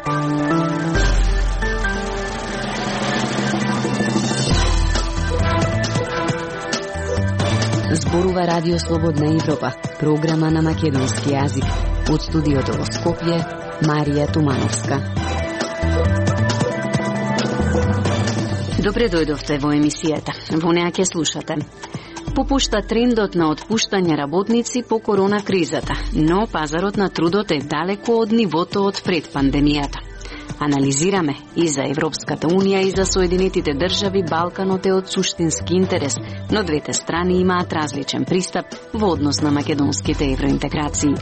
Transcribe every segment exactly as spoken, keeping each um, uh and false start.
Зборува Радио Слободна Европа, програма на македонски јазик. Од студиото во Скопје, Марија Тумановска. Добре дојдовте во емисијата. Во неа ќе слушате. Попушта трендот на отпуштање работници по корона кризата, но пазарот на трудот е далеко од нивото од пред пандемијата. Анализираме и за Европската Унија и за Соединетите држави Балканот е од суштински интерес, но двете страни имаат различен пристап во однос на македонските евроинтеграции.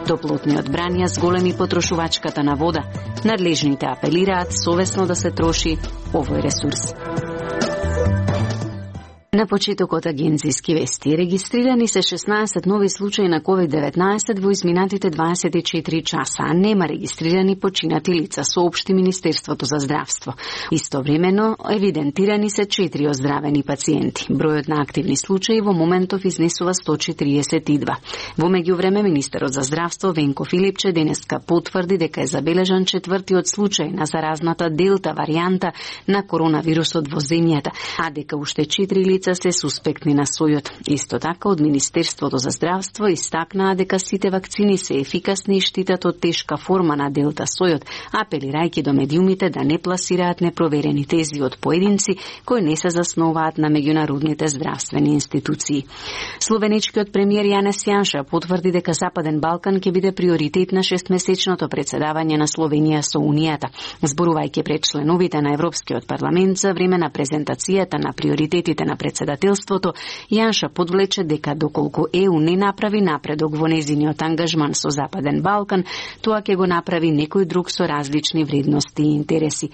Топлотниот бран ја зголеми потрошувачката на вода. Надлежните апелираат совесно да се троши овој ресурс. На почетокот агенцијски вести регистрирани се шеснаесет нови случаи на ковид деветнаесет во изминатите дваесет и четири часа, а нема регистрирани починати лица, соопшти Министерството за здравство. Истовремено евидентирани се четири оздравени пациенти. Бројот на активни случаи во моментов изнесува сто четириесет и два. Во меѓувреме министерот за здравство Венко Филипче денеска потврди дека е забележан четвртиот случај на заразната делта варијанта на коронавирусот во земјата, а дека уште четири лица се суспектни на сојот. Исто така, од Министерството за здравство истакнаа дека сите вакцини се ефикасни и штитат од тешка форма на делта сојот, апелирајќи до медиумите да не пласираат непроверени тези од поединци кои не се заснуваат на меѓународните здравствени институции. Словеничкиот премиер Јанес Јанша потврди дека Западен Балкан ќе биде приоритет на шестмесечното председавање на Словенија со Унијата. Зборувајќи пред членовите на Европскиот парламент за време на презентацијата на приоритетите на председателството, Јанша подвлече дека доколку Е У не направи напредок во незиниот ангажман со Западен Балкан, тоа ќе го направи некој друг со различни вредности и интереси.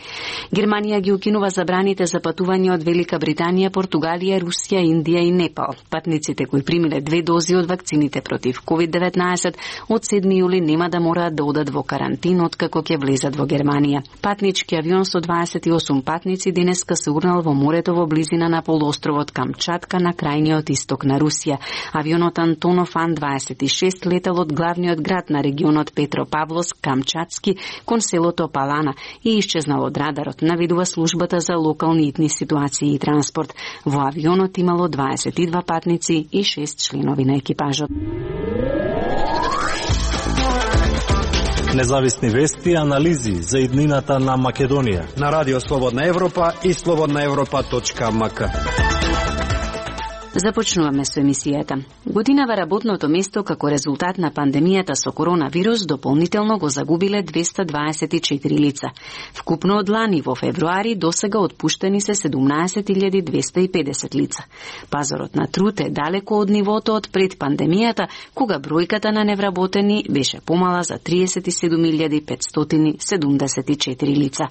Германија ги укинува забраните за патување од Велика Британија, Португалија, Русија, Индија и Непал. Патниците кои примиле две дози од вакцините против ковид деветнаесет од седми јули нема да мораат да одат во карантин откако ќе влезат во Германија. Патнички авион со дваесет и осум патници денеска се урнал во морето во близина на полуостровот Камчатка на крајниот исток на Русија. Авионот Антонов Ан дваесет и шест летал од главниот град на регионот Петропавловск, Камчатски, кон селото Палана и исчезнал од радарот, наведува службата за локални итни ситуации и транспорт. Во авионот имало дваесет и два патници и шест членови на екипажот. Независни вести и анализи за иднината на Македонија на Радио Слободна Европа и слободна европа точка ем ка. Започнуваме со емисијата. Годинава работното место како резултат на пандемијата со коронавирус дополнително го загубиле двесте дваесет и четири лица. Вкупно од лани во февруари досега отпуштени се седумнаесет илјади двесте и педесет лица. Пазарот на труд е далеко од нивото од пред пандемијата, кога бројката на невработени беше помала за триесет и седум илјади петстотини седумдесет и четири лица.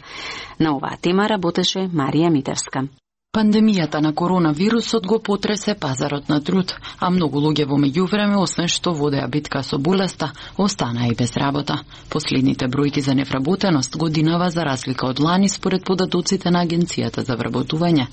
На оваа тема работеше Марија Митевска. Пандемијата на коронавирусот го потресе пазарот на труд, а многу луѓе во меѓувреме, освен што водеа битка со болеста, останаа и без работа. Последните бројки за невработеност годинава, за разлика од лани, според податоците на Агенцијата за вработување,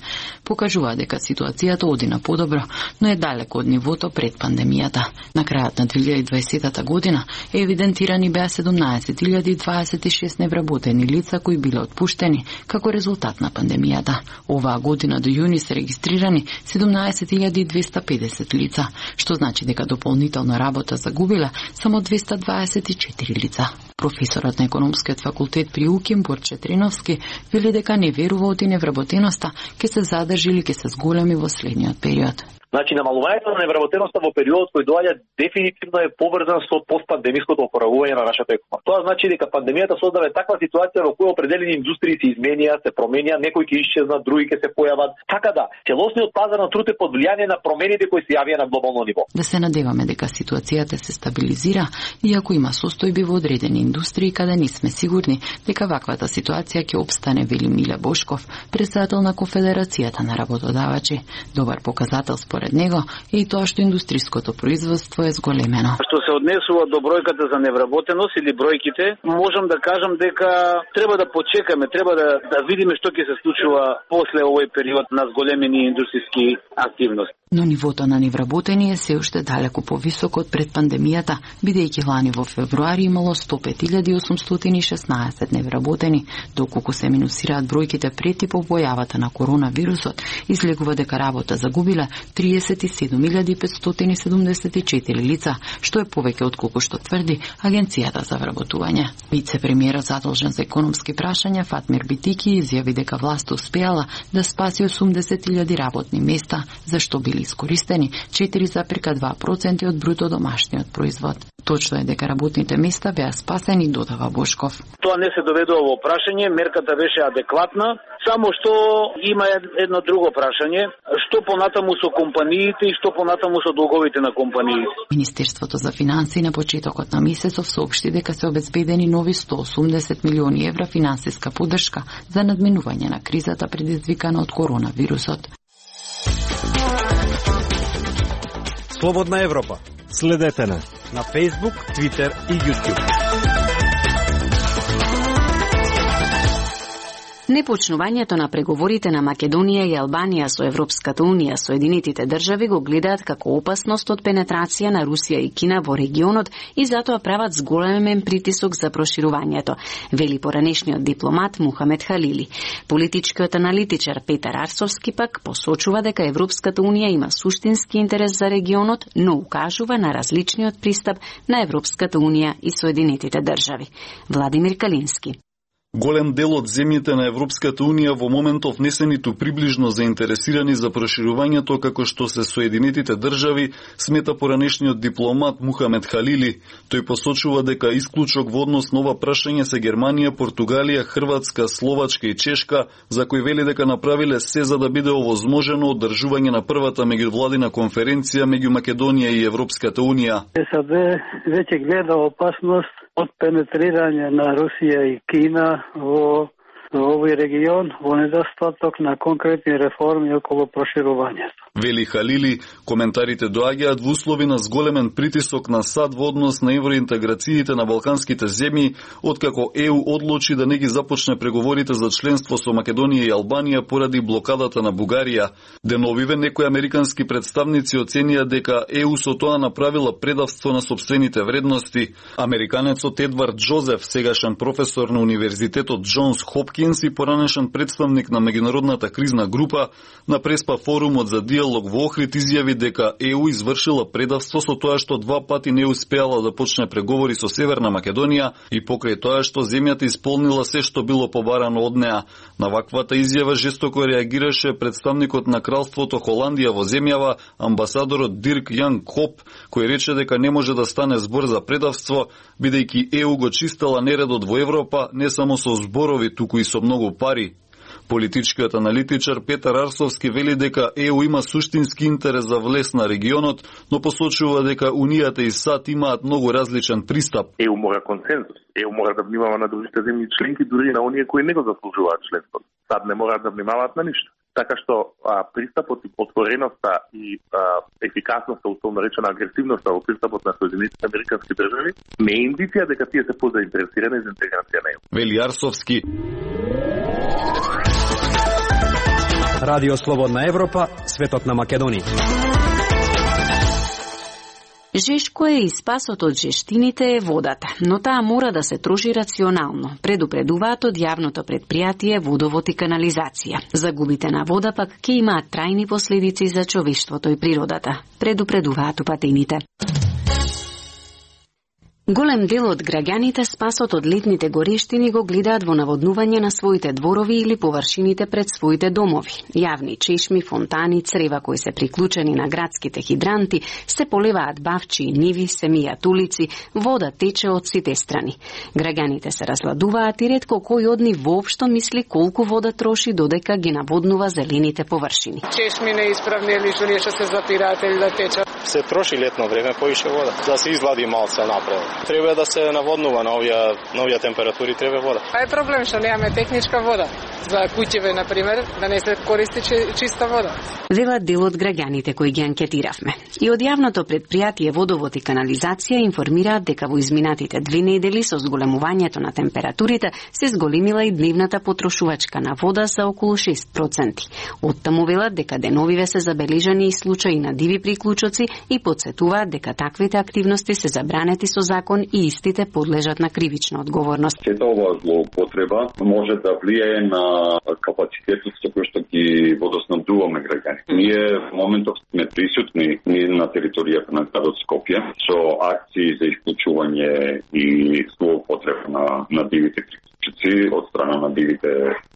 покажува дека ситуацијата оди на подобро, но е далеко од нивото пред пандемијата. На крајот на две илјади и дваесета година евидентирани беа седумнаесет илјади дваесет и шест невработени лица кои биле отпуштени како резултат на пандемијата. Оваа година до јуни се регистрирани седумнаесет илјади двесте педесет лица, што значи дека дополнително работа загубила само двесте дваесет и четири лица. Професорот на економскиот факултет при УКИМ Борче Триновски вели дека не верува од невработеноста ќе се задржи или ќе се зголеми во следниот период. Значи, намалувањето на невработеноста во периодот кој доаѓа дефинитивно е поврзан со постпандемиското опоравување на нашата економија. Тоа значи дека пандемијата создава таква ситуација во која определени индустрии се изменија, се променија, некои ќе исчезнат, други ќе се појават. Така да, целосниот пазар на труд е под влијание на промените кои се јавија на глобално ниво. Да се надеваме дека ситуацијата се стабилизира, иако има состојби во одредени индустрии каде не сме сигурни дека ваквата ситуација ќе опстане, вели Миле Бошков, председател на Конфедерацијата на работодавачи. Добар показател според него е и тоа што индустриското производство е зголемено. Што се однесува до бројката за невработеност или бројките, можам да кажам дека треба да почекаме, треба да, да видиме што ќе се случува после овој период на зголемени индустријски активности. Но нивото на невработени е се уште далеку повисоко од пред пандемијата, бидејќи лани во февруари имало сто пет илјади осумстотини и шеснаесет невработени, доколку се минусираат бројките прети по појавата на коронавирусот, излегува дека работа загубиле триесет и седум илјади петстотини седумдесет и четири лица, што е повеќе од колку што тврди Агенцијата за вработување. Вице-премиерот задолжен за економски прашања Фатмир Битики изјави дека власта успеала да спаси осумдесет илјади работни места, зашто били искористени четири запирка два проценти од бруто домашниот производ. Точно е дека работните места беа спасени, додава Бошков. Тоа не се доведува во прашање, мерката беше адекватна, само што има едно друго прашање, што понатаму со компаниите и што понатаму со долговите на компаниите. Министерството за финансии на почетокот на месецов соопшти дека се обезбедени нови сто осумдесет милиони евра финансиска поддршка за надминување на кризата предизвикана од коронавирусот. Слободна Европа. Следете на на Facebook, Twitter и YouTube. Непочнувањето на преговорите на Македонија и Албанија со Европската Унија, Соединетите држави го гледаат како опасност од пенетрација на Русија и Кина во регионот и затоа прават зголемен притисок за проширувањето, вели поранешниот дипломат Мухамед Халили. Политичкиот аналитичар Петар Арсовски пак посочува дека Европската Унија има суштински интерес за регионот, но укажува на различниот пристап на Европската Унија и Соединетите држави. Владимир Калински. Голем дел од земјите на Европската Унија во моментов не се ниту приближно заинтересирани за проширувањето како што се Соединетите држави, смета поранешниот дипломат Мухамед Халили. Тој посочува дека исклучок во однос на ова прашање се Германија, Португалија, Хрватска, Словачка и Чешка, за кои вели дека направиле се за да биде овозможено одржување на првата меѓувладина конференција меѓу Македонија и Европската Унија. САД веќе гледа опасност од пенетрирање на Русија и Кина во овој регион во недостаток на конкретни реформи околу проширувањето. Вели Халили, коментарите доаѓаат во услови на зголемен притисок на САД во однос на евроинтеграциите на балканските земји, откако ЕУ одлучи да не ги започне преговорите за членство со Македонија и Албанија поради блокадата на Бугарија. Деновиве некои американски представници оценија дека ЕУ со тоа направила предавство на сопствените вредности. Американецот Едвард Джозеф, сегашен професор на Универзитетот Джонс Хопкинс и поранешен представник на меѓународната кризна група, на преспа форумот за диалог во Охрид изјави дека ЕУ извршила предавство со тоа што два пати не успеала да почне преговори со Северна Македонија и покрај тоа што земјата исполнила се што било побарано од неа. На ваквата изјава жестоко реагираше представникот на кралството Холандија во земјава, амбасадорот Дирк Јан Коп, кој рече дека не може да стане збор за предавство, бидејќи ЕУ го чистела нередот во Европа не само со зборови, туку и со многу пари. Политичкиот аналитичар Петар Арсовски вели дека ЕУ има суштински интерес за влез на регионот, но посочува дека Унијата и САД имаат многу различен пристап. ЕУ мора консензус. ЕУ мора да внимава на другите земји членки, дури на оние кои не го заслужуваат членството. САД не мора да внимаваат на ништо. Така што а, пристапот и отвореноста и а, ефикасноста, условно речена агресивноста во пристапот на Соединетите американски држави не е индиција дека тие се позаинтересирани за интеграција на ЕУ. Вели Арсовски. Радио Слободна Европа, светот на Македонија. Жешко е и спасот од жештините е водата, но таа мора да се троши рационално, предупредуваат од јавното предпријатие Водовод и канализација. Загубите на вода пак ќе имаат трајни последици за човештвото и природата, предупредуваат упатените. Голем дел од граѓаните спасот од летните горештини го гледаат во наводнување на своите дворови или површините пред своите домови. Јавни чешми, фонтани, црева кои се приклучени на градските хидранти, се поливаат бавчи и ниви, се мијат улици, вода тече од сите страни. Граѓаните се разладуваат и ретко кој од нив воопшто мисли колку вода троши додека ги наводнува зелените површини. Чешми неисправни или што нешто се запираат или да течат. се троши летно време поише вода, да се изглади малце напред. Треба да се наводнува на овие на овие температури, треба вода. А е проблем што немаме техничка вода за куќеве на пример, да не се користи чиста вода. Велат дел од граѓаните кои ги анкетиравме. И од јавното предпријатие Водовод и канализација информираат дека во изминатите две недели со зголемувањето на температурите се зголемила и дневната потрошувачка на вода за околу шест проценти. Оттаму велат дека деновиве се забележани и случаи на диви приклучоци и подсетуваат дека таквите активности се забранети со закон и истите подлежат на кривична одговорност. Сета оваа злоупотреба може да влијае на капацитетот со кој што ги водоснабдуваме граѓани. Ние во моментов сме присутни на територијата на градот Скопје со акции за исклучување и злоупотреба на, на дивите приклучоци од страна на дивите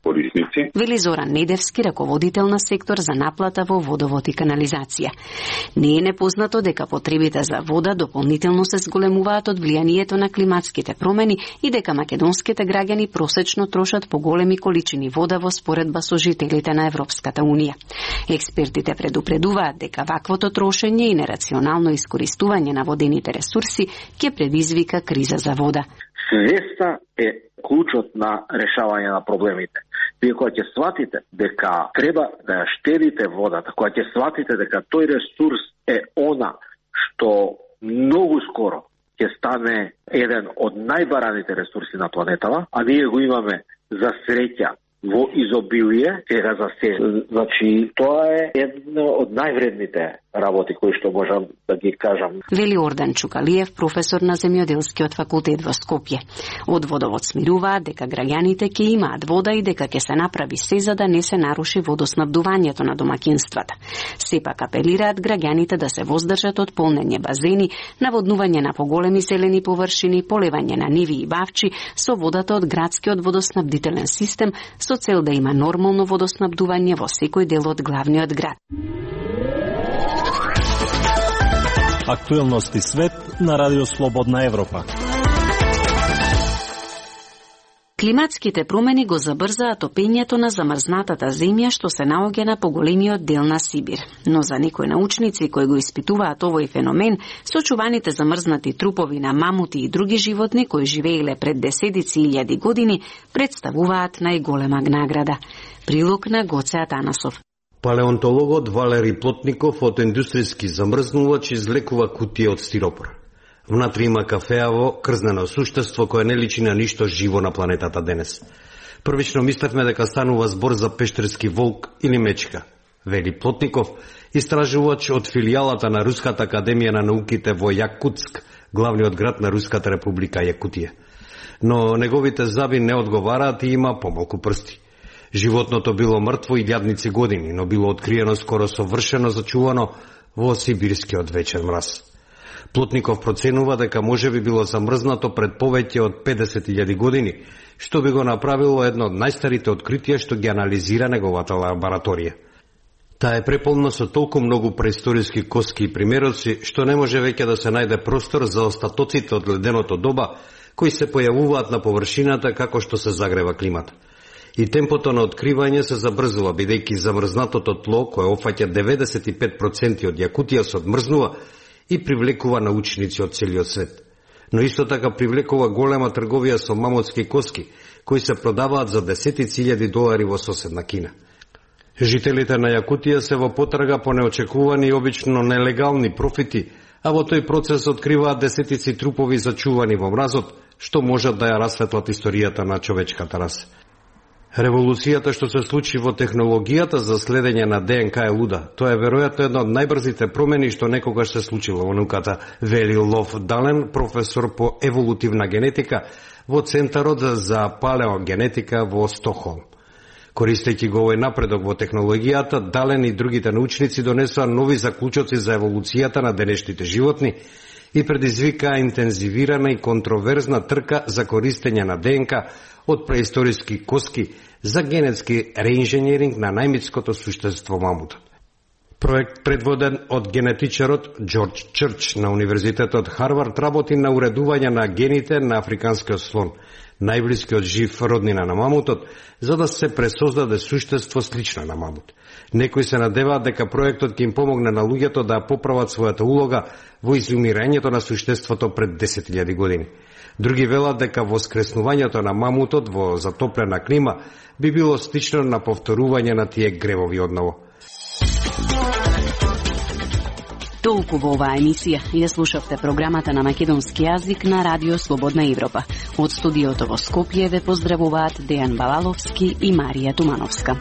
корисници. Вели Зоран Недевски, раководител на сектор за наплата во Водовод и канализација. Не е непознато дека потребите за вода дополнително се зголемуваат од влијанието на климатските промени и дека македонските граѓани просечно трошат поголеми количини вода во споредба со жителите на Европската унија. Експертите предупредуваат дека ваквото трошење и нерационално искористување на водените ресурси ќе предизвика криза за вода. Свеста е клучот на решавање на проблемите. Вие кога ќе сватите дека треба да ја штедите водата, кога ќе сватите дека тој ресурс е она што многу скоро ќе стане еден од најбараните ресурси на планетава, а ние го имаме за среќа во изобилие, сега за се. Значи, тоа е едно од највредните работи кои што можам да ги кажам. Вели Ордан Чукалиев, професор на земјоделскиот факултет во Скопје. Од Водовод смируваат дека граѓаните ќе имаат вода и дека ќе се направи се за да не се наруши водоснабдувањето на домаќинствата. Сепак апелираат граѓаните да се воздржат од полнење базени, наводнување на поголеми зелени површини, полевање на ниви и бавчи со водата од градскиот водоснабдителен систем со цел да има нормално водоснабдување во секој дел од главниот град. Актуелности свет на Радио Слободна Европа. Климатските промени го забрзаат топењето на замрзнатата земја што се наоѓа на поголемиот дел на Сибир. Но за некои научници кои го испитуваат овој феномен, сочуваните замрзнати трупови на мамути и други животни кои живееле пред десетици илјади години представуваат најголема награда. Прилог на Гоце Атанасов. Палеонтологот Валери Плотников од индустријски замрзнувач излекува кутија од стиропор. Внатре има кафеаво, крзнено суштество кое не личи на ништо живо на планетата денес. Првично мислевме дека станува збор за пештерски волк или мечка. Вели Плотников, истражувач од филијалата на Руската академија на науките во Јакутск, главниот град на Руската република Јакутија. Но неговите заби не одговараат и има помалку прсти. Животното било мртво и илјадници години, но било откриено скоро совршено зачувано во сибирскиот вечен мраз. Плотников проценува дека може би било замрзнато пред повеќе од педесет илјади години, што би го направило едно од најстарите откритија што ги анализира неговата лабораторија. Таа е преполна со толку многу преисториски коски и примероци, што не може веќе да се најде простор за остатоците од леденото доба, кои се појавуваат на површината како што се загрева климата. И темпото на откривање се забрзува, бидејќи замрзнатото тло, кое опфаќа деветдесет и пет проценти од Јакутија, се одмрзнува и привлекува научници од целиот свет. Но исто така привлекува голема трговија со мамутски коски, кои се продаваат за десетици илјади долари во соседна Кина. Жителите на Јакутија се во потрага по неочекувани и обично нелегални профити, а во тој процес откриваат десетици трупови зачувани во мразот, што можат да ја расветлат историјата на човечката раса. Револуцијата што се случи во технологијата за следење на ДНК е луда. Тоа е веројатно една од најбрзите промени што некогаш се случило во науката, вели Лов Дален, професор по еволутивна генетика во Центарот за палеогенетика во Стокхолм. Користејќи го овој напредок во технологијата, Дален и другите научници донесоа нови заклучоци за еволуцијата на денешните животни и предизвикаа интензивирана и контроверзна трка за користење на ДНК од преисториски коски за генетски реинженеринг на најмитското суштество мамутот. Проект предводен од генетичарот Џорџ Чрч на Универзитетот Харвард работи на уредување на гените на африканскиот слон, најблискиот жив роднина на мамутот, за да се пресоздаде суштество слично на мамут. Некои се надеваат дека проектот ќе им помогне на луѓето да поправат својата улога во изумирањето на суштеството пред десет илјади години. Други велат дека воскреснувањето на мамутот во затоплена клима би било слично на повторување на тие гревови одново. Толку во оваа емисија ја слушавте програмата на македонски јазик на Радио Слободна Европа. Од студиото во Скопје ве поздравуваат Дејан Балаловски и Марија Тумановска.